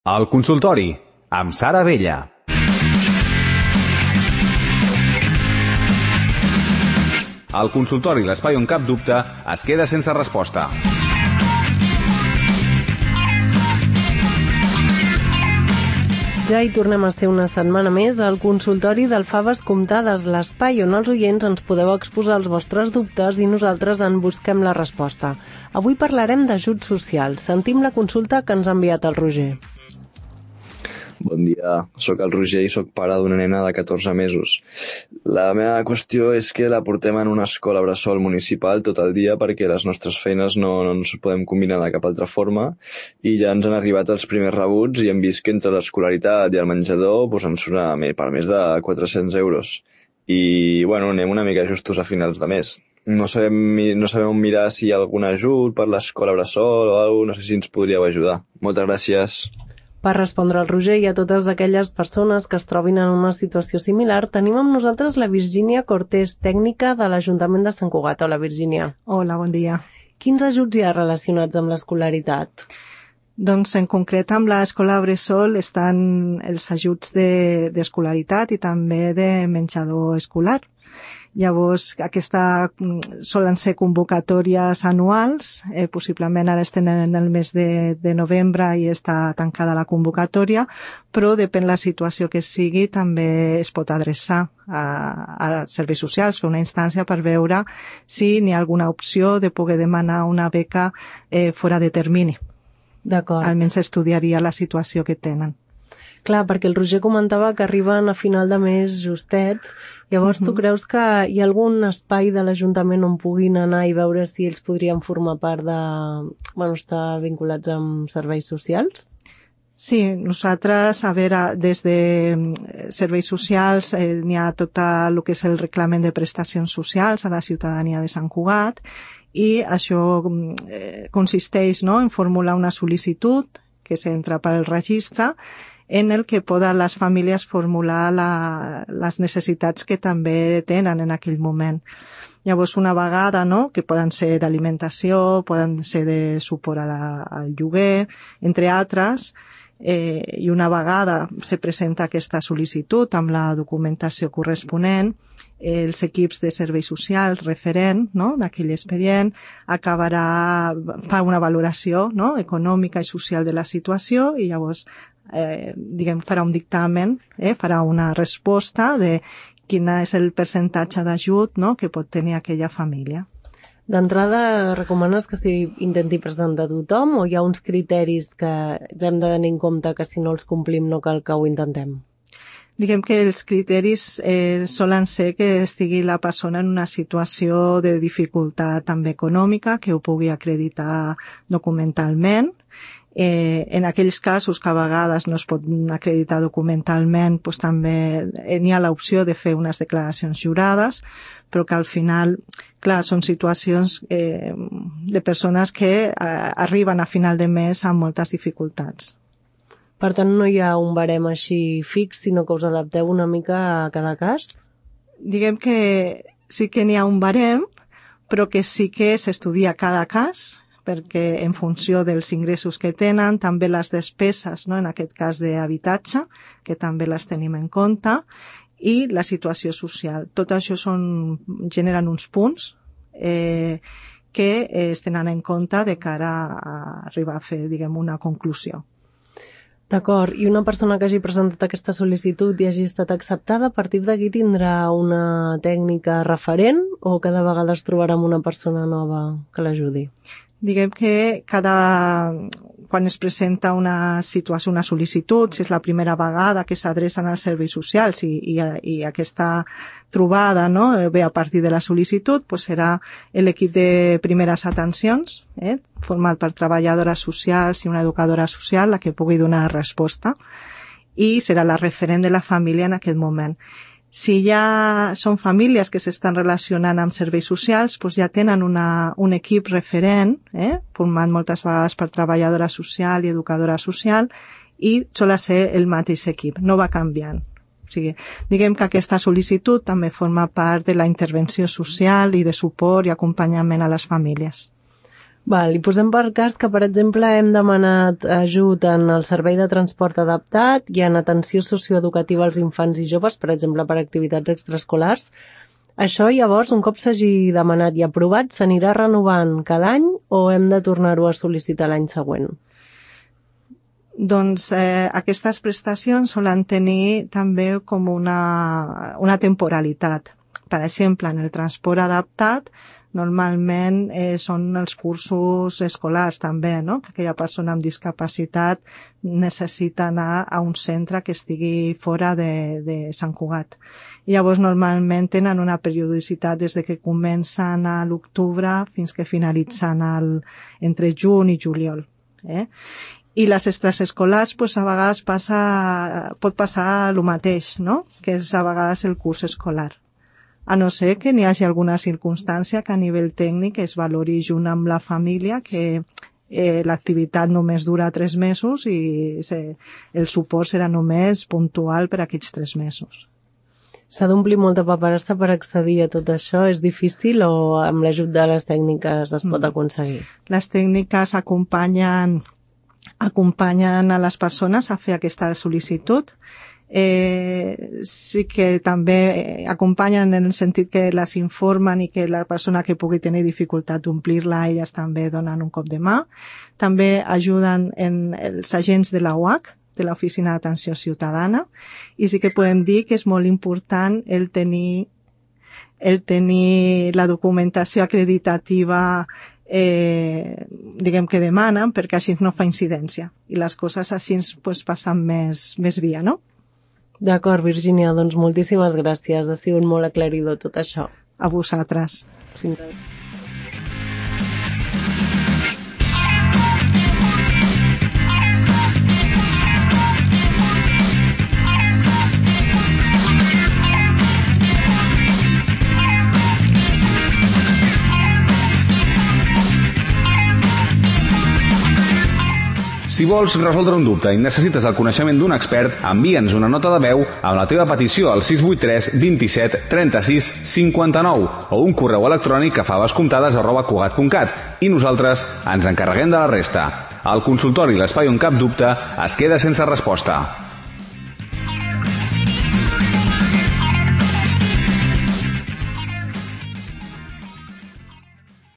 El consultori, amb Sara Abella. El consultori, l'espai on cap dubte es queda sense resposta. Ja hi tornem a ser una setmana més al consultori del Faves Comptades, l'espai on els oients ens podeu exposar els vostres dubtes i nosaltres en busquem la resposta. Avui parlarem d'ajuts socials. Sentim la consulta que ens ha enviat el Roger. Bon dia, sóc el Roger i sóc pare d'una nena de 14 mesos. La meva qüestió és que la portem en una escola bressol municipal tot el dia perquè les nostres feines no ens podem combinar de cap altra forma i ja ens han arribat els primers rebuts i hem vist que entre l'escolaritat i el menjador ens surt per més de 400 euros. I anem una mica justos a finals de mes. No sabem on mirar si hi ha algun ajut per l'escola bressol o alguna cosa, no sé si ens podríeu ajudar. Moltes gràcies. Per respondre al Roger i a totes aquelles persones que es trobin en una situació similar, tenim amb nosaltres la Virgínia Cortés, tècnica de l'Ajuntament de Sant Cugat. Hola, Virgínia. Hola, bon dia. Quins ajuts hi ha relacionats amb l'escolaritat? Doncs en concret amb l'escola bressol estan els ajuts d'escolaritat i també de menjador escolar. Llavors, solen ser convocatòries anuals, possiblement ara estem en el mes de novembre i està tancada la convocatòria, però depèn la situació que sigui, també es pot adreçar a serveis socials, fer una instància per veure si n'hi ha alguna opció de poder demanar una beca fora de termini. D'acord. Almenys estudiaria la situació que tenen. Clar, perquè el Roger comentava que arriben a final de mes justets. Llavors, tu creus que hi ha algun espai de l'Ajuntament on puguin anar i veure si ells podrien formar part estar vinculats amb serveis socials? Sí, nosaltres, des de serveis socials n'hi ha tot el que és el reglament de prestacions socials a la ciutadania de Sant Cugat i això consisteix en formular una sol·licitud que s'entra pel registre en el que poden les famílies formular les necessitats que també tenen en aquell moment. Llavors, una vegada, que poden ser d'alimentació, poden ser de suport al lloguer, entre altres, i una vegada se presenta aquesta sol·licitud amb la documentació corresponent, els equips de serveis socials referent d'aquell expedient fa una valoració econòmica i social de la situació i llavors farà un dictamen, farà una resposta de quin és el percentatge d'ajut que pot tenir aquella família. D'entrada, recomanes que s'intenti presentar a tothom o hi ha uns criteris que hem de tenir en compte que si no els complim no cal que ho intentem? Diguem que els criteris solen ser que estigui la persona en una situació de dificultat també econòmica, que ho pugui acreditar documentalment. En aquells casos que a vegades no es pot acreditar documentalment, també n'hi ha l'opció de fer unes declaracions jurades, però que al final, clar, són situacions de persones que arriben a final de mes amb moltes dificultats. Per tant, no hi ha un barem així fix, sinó que us adapteu una mica a cada cas? Diguem que sí que n'hi ha un barem, però que sí que s'estudia cada cas, perquè en funció dels ingressos que tenen, també les despeses, en aquest cas d'habitatge, que també les tenim en compte, i la situació social. Tot això generen uns punts que es tenen en compte de cara a arribar a fer, una conclusió. D'acord, i una persona que hagi presentat aquesta sol·licitud i hagi estat acceptada, a partir d'aquí tindrà una tècnica referent o cada vegada es trobarà amb una persona nova que l'ajudi? Diguem que quan es presenta una situació, una sol·licitud, si és la primera vegada que s'adrecen als serveis socials i aquesta trobada ve a partir de la sol·licitud, serà l'equip de primeres atencions, format per treballadores socials i una educadora social, la que pugui donar resposta, i serà la referent de la família en aquest moment. Si ja són famílies que s'estan relacionant amb serveis socials, ja tenen un equip referent, format moltes vegades per treballadora social i educadora social, i sol ser el mateix equip, no va canviant. O sigui, diguem que aquesta sol·licitud també forma part de la intervenció social i de suport i acompanyament a les famílies. Val, i posem per cas que, per exemple, hem demanat ajut en el servei de transport adaptat i en atenció socioeducativa als infants i joves, per exemple, per activitats extraescolars. Això, llavors, un cop s'hagi demanat i aprovat, s'anirà renovant cada any o hem de tornar-ho a sol·licitar l'any següent? Doncs aquestes prestacions solen tenir també com una temporalitat. Per exemple, en el transport adaptat, normalment són els cursos escolars també, no? Que aquella persona amb discapacitat necessita anar a un centre que estigui fora de Sant Cugat. I llavors normalment tenen una periodicitat des de que comencen a l'octubre fins que finalitzen entre juny i juliol. I les extraescolars, pues, a vegades pot passar el mateix, no? Que és a vegades el curs escolar. A no ser que n'hi hagi alguna circumstància que a nivell tècnic es valori junt amb la família, que l'activitat només dura 3 mesos i el suport serà només puntual per aquests 3 mesos. S'ha d'omplir molta paperassa per accedir a tot això? És difícil o amb l'ajut de les tècniques es pot aconseguir? Les tècniques acompanyen a les persones a fer aquesta sol·licitud. Sí que també acompanyen en el sentit que les informen i que la persona que pugui tenir dificultat d'omplir-la, elles també donen un cop de mà. També ajuden els agents de la UAC, de l'Oficina d'Atenció Ciutadana, i sí que podem dir que és molt important el tenir la documentació acreditativa diguem que demanen, perquè així no fa incidència i les coses així pues, passen més via, no? D'acord, Virgínia, doncs moltíssimes gràcies. Ha sigut molt aclaridor tot això. A vosaltres. Sí. Si vols resoldre un dubte i necessites el coneixement d'un expert, envia'ns una nota de veu amb la teva petició al 683 27 36 59 o un correu electrònic a favascomptades@cugat.cat i nosaltres ens encarreguem de la resta. El consultori L'Espai on cap dubte es queda sense resposta.